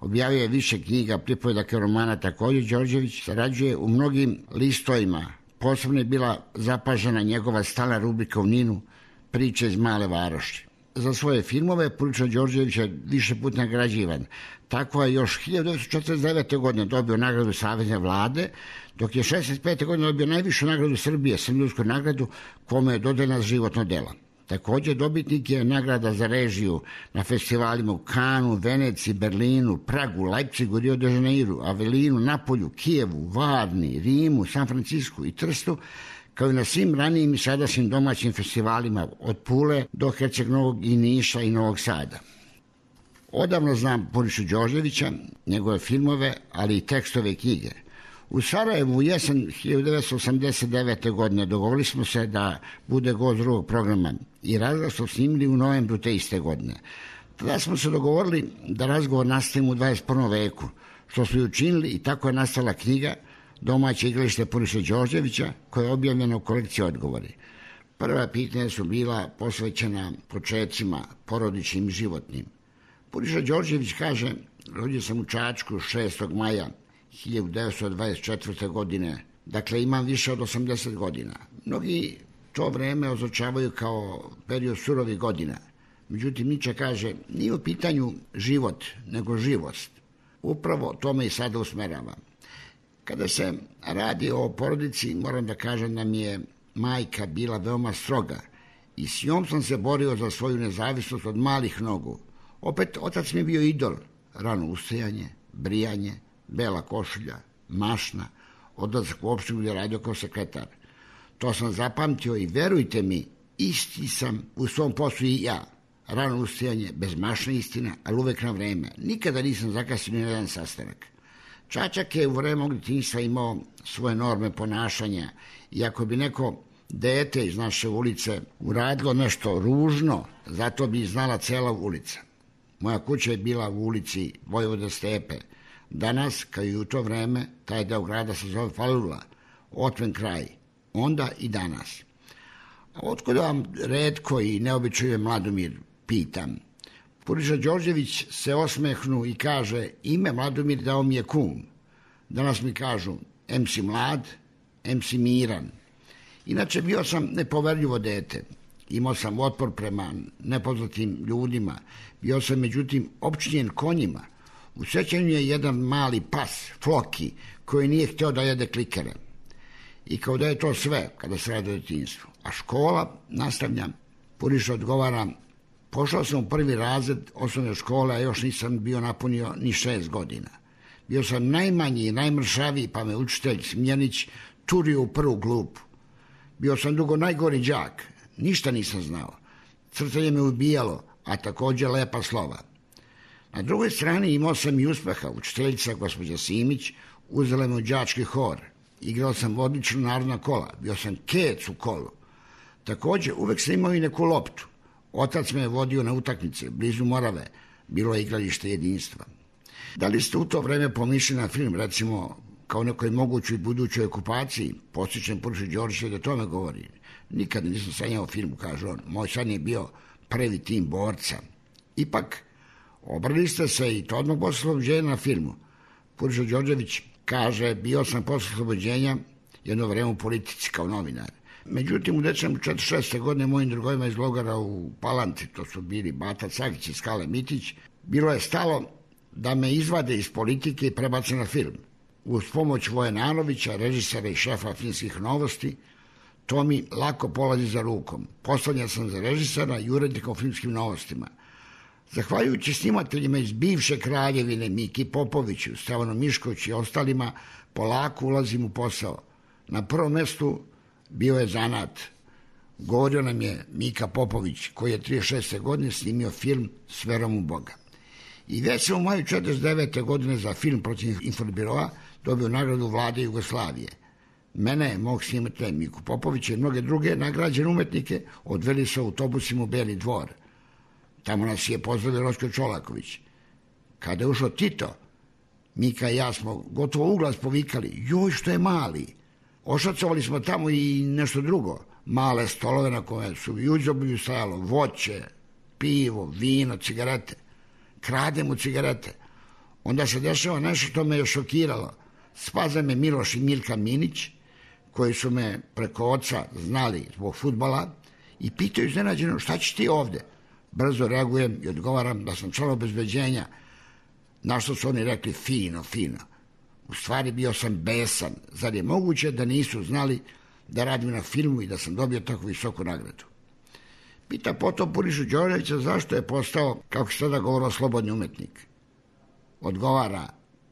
Objavio je više knjiga, pripovedaka romana. Također Đorđević sarađuje u mnogim listovima. Posebno je bila zapažena njegova stalna rubrika u NIN-u Priče iz male varoši. Za svoje filmove Puriša Đorđević je više puta nagrađivan. Tako je još 1949. godine dobio nagradu Savezne vlade, dok je 1965. godine dobio najvišu nagradu Srbije, Sremljudsku nagradu, kome je dodeljena za životno delo. Također dobitnik je nagrada za režiju na festivalima u Kanu, Veneciji, Berlinu, Pragu, Leipzigu, Rio de Janeiru, Avelinu, Napolju, Kijevu, Varni, Rimu, San Francisku i Trstu, kao i na svim ranijim i sadašnjim domaćim festivalima od Pule do Herceg Novog i Niša i Novog Sada. Odavno znam Purišu Đorđevića, njegove filmove, ali i tekstove i knjige. U Sarajevu u jesen 1989. godine dogovorili smo se da bude gost drugog programa i razgovor smo snimili u novembru te iste godine. Tada smo se dogovorili da razgovor nastavimo u 21. veku, što smo i učinili i tako je nastala knjiga Domaće igralište Puriše Đorđevića, koja je objavljena u kolekciji Odgovori. Prva pitanja su bila posvećena počecima porodičnim i životnim. Puriša Đorđević kaže, rodio sam u Čačku 6. maja 1924. godine, dakle imam više od 80 godina. Mnogi to vreme označavaju kao period surovih godina. Međutim, Niče kaže, nije u pitanju život, nego živost. Upravo to me i sada usmerava. Kada se radi o porodici, moram da kažem da mi je majka bila veoma stroga i s njom sam se borio za svoju nezavisnost od malih nogu. Opet, otac mi je bio idol, rano ustajanje, brijanje, bela košulja, mašna, odlazak u opštinu gdje je radio kao sekretar. To sam zapamtio i verujte mi, isti sam u svom poslu i ja. Rano ustajanje, bez mašne istina, ali uvek na vreme. Nikada nisam zakasnio na jedan sastanak. Čačak je u vreme mog djetinjstva imao svoje norme ponašanja i ako bi neko dete iz naše ulice uradilo nešto ružno, zato bi znala cela ulica. Moja kuća je bila u ulici Vojvoda Stepe. Danas, kao i u to vreme, taj deo grada se zove Falula, otven kraj. Onda i danas. A otkud vam retko i neobičaj Mladomir, pitam. Puriša Đorđević se osmehnu i kaže, ime Mladomir dao mi je kum. Danas mi kažu, em si mlad, em si miran. Inače, bio sam nepoverljivo dete. Imao sam otpor prema nepoznatim ljudima. Bio sam, međutim, opčinjen konjima. U sećanju je jedan mali pas, Floki, koji nije hteo da jede klikere. I kao da je to sve, kada se radi o djetinjstvu. A škola, nastavljam, Puriša odgovara, pošao sam u prvi razred osnovne škole, a još nisam bio napunio ni 6 godina. Bio sam najmanji i najmršaviji, pa me učitelj Smjenić turio u prvu klupu. Bio sam dugo najgori đak, ništa nisam znao. Crtanje me ubijalo, a također lepa slova. Na drugoj strani imao sam i uspeha. Učiteljica, gospođa Simić, uzela me u đački hor. Igrao sam odlično narodna kola, bio sam kec u kolu. Također, uvek sam imao i neku loptu. Otac me je vodio na utakmice, blizu Morave, bilo je igralište jedinstva. Da li ste u to vreme pomišljali na film, recimo, kao nekoj mogućoj budućoj okupaciji? Podsjećam Purišu Đorđevića da tome govori. Nikad nisam sanjao o filmu, kaže on. Moj san je bio prvi tim borca. Ipak, obrali ste se i to odmah posle oslobođenja na filmu. Puriša Đorđević kaže, bio sam posle oslobođenja jedno vreme u politici kao novinar. Međutim, u decembru 1946. godine mojim drugovima iz logora u Palanci, to su bili Bata Cagić i Skale Mitić, bilo je stalo da me izvade iz politike i prebace na film. Uz pomoć Vojenanovića, režisera i šefa Filmskih novosti, to mi lako polazi za rukom. Poslanjan sam za režisera i urednika u Filmskim novostima. Zahvaljujući snimateljima iz bivše Kraljevine, Miki Popoviću, Stevanu Miškoviću i ostalima, polako ulazim u posao. Na prvom mestu bio je zanat. Govorio nam je Mika Popović, koji je 36. godine snimio film S verom u Boga. I već sam u maju 49. godine za film protiv Infobiroa dobio nagradu Vlade Jugoslavije. Mene, mog snimatelja Miku Popovića i mnoge druge nagrađene umetnike odveli sa autobusima u Beli dvor. Tamo nas je pozdravio Roško Čolaković. Kada je ušao Tito, Mika i ja smo gotovo uglas povikali, joj što je mali. Ošacovali smo tamo i nešto drugo. Male stolove na koje su i uđoblju stajalo voće, pivo, vino, cigarete. Krademo cigarete. Onda se dešava nešto što me je šokiralo. Spaza me Miloš i Milka Minić, koji su me preko oca znali zbog fudbala i pitaju iznenađeno, šta ćeš ti ovde? Brzo reagujem i odgovaram da sam član obezbeđenja, na što su oni rekli fino, fino. U stvari bio sam besan. Zar je moguće da nisu znali da radim na filmu i da sam dobio tako visoku nagradu? Pita potom Purišu Đorđevića zašto je postao, kako se tada govorilo, slobodni umetnik. Odgovara,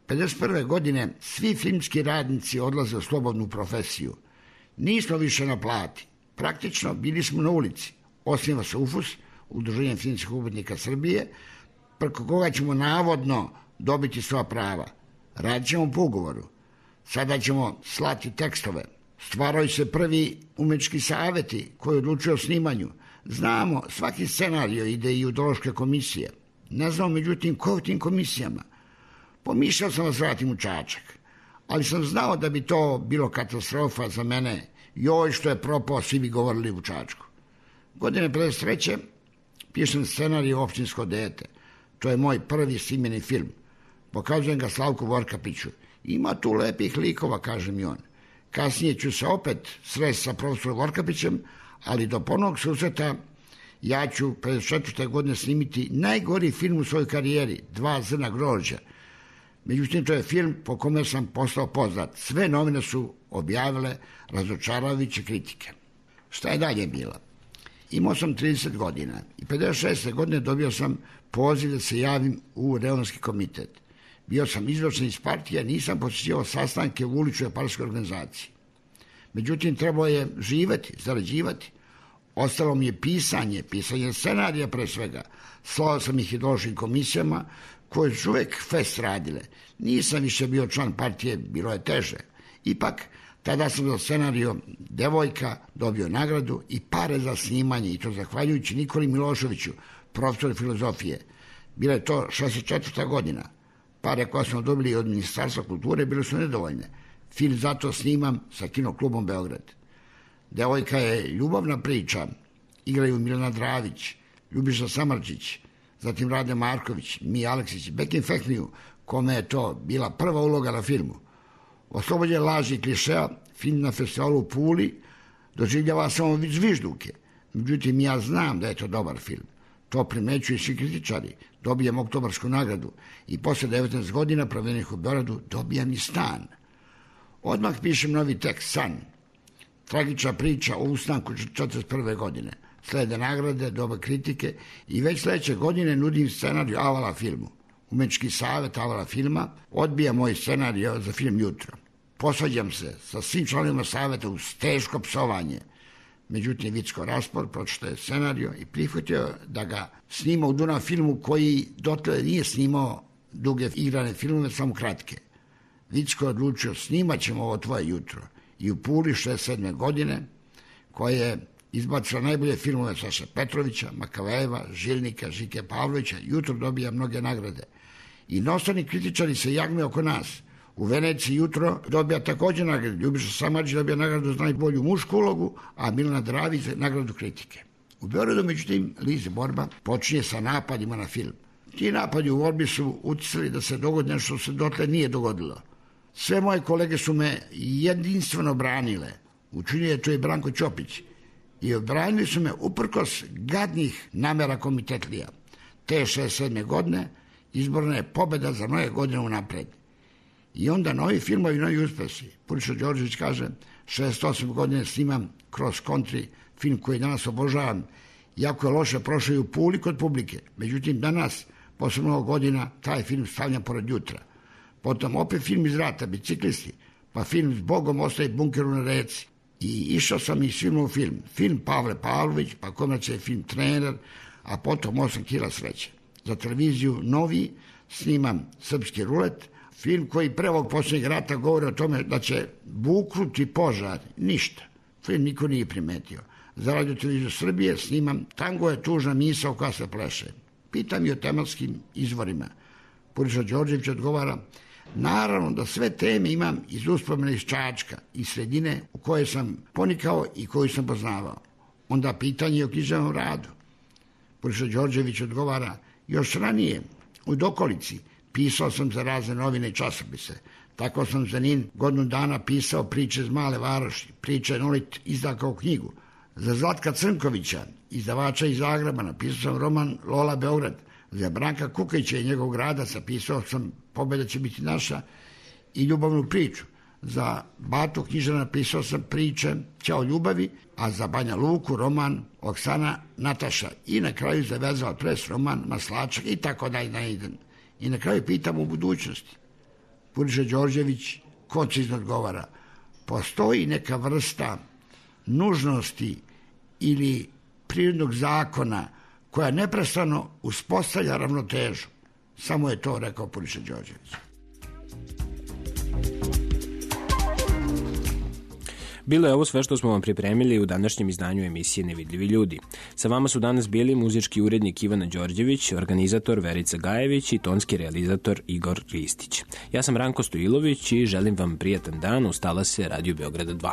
51. godine svi filmski radnici odlaze u slobodnu profesiju. Nismo više na plati. Praktično bili smo na ulici. Osniva se UFUS, Udruženje filmskih umetnika Srbije, preko koga ćemo navodno dobiti sva prava. Radit ćemo po ugovoru. Sada ćemo slati tekstove. Stvaraju se prvi umetnički saveti koji odlučuju o snimanju. Znamo, svaki scenario ide i u ideološke komisije. Ne znamo, međutim, ko u tim komisijama. Pomišljao sam da se vratim u Čačak, ali sam znao da bi to bilo katastrofa za mene. Joj, što je propao, svi bi govorili u Čačku. Godine 53. pišem scenarij Općinsko dete. To je moj prvi snimljeni film. Pokazujem ga Slavku Vorkapiću. Ima tu lepih likova, kaže mi on. Kasnije ću se opet sresti sa profesorom Vorkapićem, ali do ponovnog susreta ja ću 54. godine snimiti najgori film u svojoj karijeri, 2 zrna grožđa. Međutim, to je film po kome sam postao poznat. Sve novine su objavile razočaravajuće kritike. Šta je dalje bilo? Imao sam 30 godina i 56. godine dobio sam poziv da se javim u Reonski komitet. Bio sam izvršen iz partije, nisam posjećivao sastanke u uličnoj partijskoj organizaciji. Međutim, trebalo je živeti, zarađivati. Ostalo mi je pisanje scenarija pre svega. Slao sam ih ideološkim komisijama koje su uvek fest radile. Nisam više bio član partije, bilo je teže. Ipak, tada sam za scenario Devojka dobio nagradu i pare za snimanje, i to zahvaljujući Nikoli Miloševiću, profesoru filozofije. Bila je to 64. godina. Pare koje smo dobili od Ministarstva kulture bile su nedovoljne. Film zato snimam sa Kinoklubom Beograd. Devojka je ljubavna priča. Igraju Milena Dravić, Ljubiša Samardžić, zatim Rade Marković, Mija Aleksić, Bekim Fehmiju, kome je to bila prva uloga na filmu. Oslobođen laži i klišeja, film na festivalu u Puli doživljava samo zvižduke. Međutim, ja znam da je to dobar film. To primećuju svi kritičari. Dobijem oktobarsku nagradu i posle 19 godina provedenih u Beogradu dobijam i stan. Odmah pišem novi tekst, San. Tragična priča o ustanku 1941. godine. Slede nagrade, doba kritike i već sledeće godine nudim scenariju Avala filmu. Umetnički savet Avala filma odbija moj scenarij za film Jutro. Posvađam se sa svim članovima saveta uz teško psovanje. Međutim, Vicko Raspor pročitao je scenariju i prihvatio da ga snima u Dunav filmu koji dotle nije snimao duge igrane filmove, samo kratke. Vicko je odlučio, snimat ćemo ovo Tvoje jutro. I u Puli 67. godine, koja je izbacila najbolje filmove Saše Petrovića, Makavejeva, Žilnika, Žike Pavlovića, Jutro dobija mnoge nagrade. I inostrani kritičari se jagme oko nas. U Veneciji Jutro dobija također nagradu. Ljubiša Samardžić dobija nagradu za najbolju mušku ulogu, a Milena Dravić za nagradu kritike. U Beogradu, međutim, Lize borba počinje sa napadima na film. Ti napadi u borbi su uticali da se dogodi nešto što se dotle nije dogodilo. Sve moje kolege su me jedinstveno branile. Učinio je to i Branko Ćopić. I obranili su me uprkos gadnih namera komitetlija. Te 67. godine izborna je pobeda za mnoge godine unapred. I onda novi filmovi, novi uspesi. Puriša Đorđević kaže, 68 godine snimam Cross Country, film koji danas obožavam, jako je loše prošao i u Puli kod publike. Međutim, danas, posle mnogo godina, taj film stavljam pored Jutra. Potom opet film iz rata, Biciklisti, pa film S Bogom ostaje bunkeru na reci. I išao sam i svima u film. Film Pavle Pavlović, pa komercijalni film Trener, a potom 8 kila sreće. Za televiziju Novi snimam Srpski rulet, film koji pre ovog posljednjeg rata govori o tome da će buknuti požar. Ništa. Film niko nije primetio. Za Radio televiziju Srbije snimam Tango je tužna misao koja se pleše. Pitam i o tematskim izvorima. Puriša Đorđević odgovara, naravno da sve teme imam iz uspomene iz Čačka, iz sredine u kojoj sam ponikao i koju sam poznavao. Onda pitanje o književnom radu. Puriša Đorđević odgovara, još ranije, u dokolici, pisao sam za razne novine i časopise. Tako sam za NIN godinu dana pisao priče iz Male Varoši, priče Nolit izda kao knjigu. Za Zlatka Crnkovića, izdavača iz Zagreba, napisao sam roman Lola Beograd. Za Branka Kukajića i njegovog grada napisao sam Pobeda će biti naša i ljubavnu priču. Za Batu Knjižara napisao sam priče Ćao ljubavi, a za Banja Luku roman Oksana Nataša i na kraju zavezao pres roman Maslačak i tako dalje. I na kraju pitam u budućnosti. Puriša Đorđević koncizno odgovara, postoji neka vrsta nužnosti ili prirodnog zakona koja neprestano uspostavlja ravnotežu. Samo je to rekao Puriša Đorđević. Bilo je ovo sve što smo vam pripremili u današnjem izdanju emisije Nevidljivi ljudi. Sa vama su danas bili muzički urednik Ivana Đorđević, organizator Verica Gajević i tonski realizator Igor Ristić. Ja sam Ranko Stojilović i želim vam prijatan dan. Ustala se Radio Beograda 2.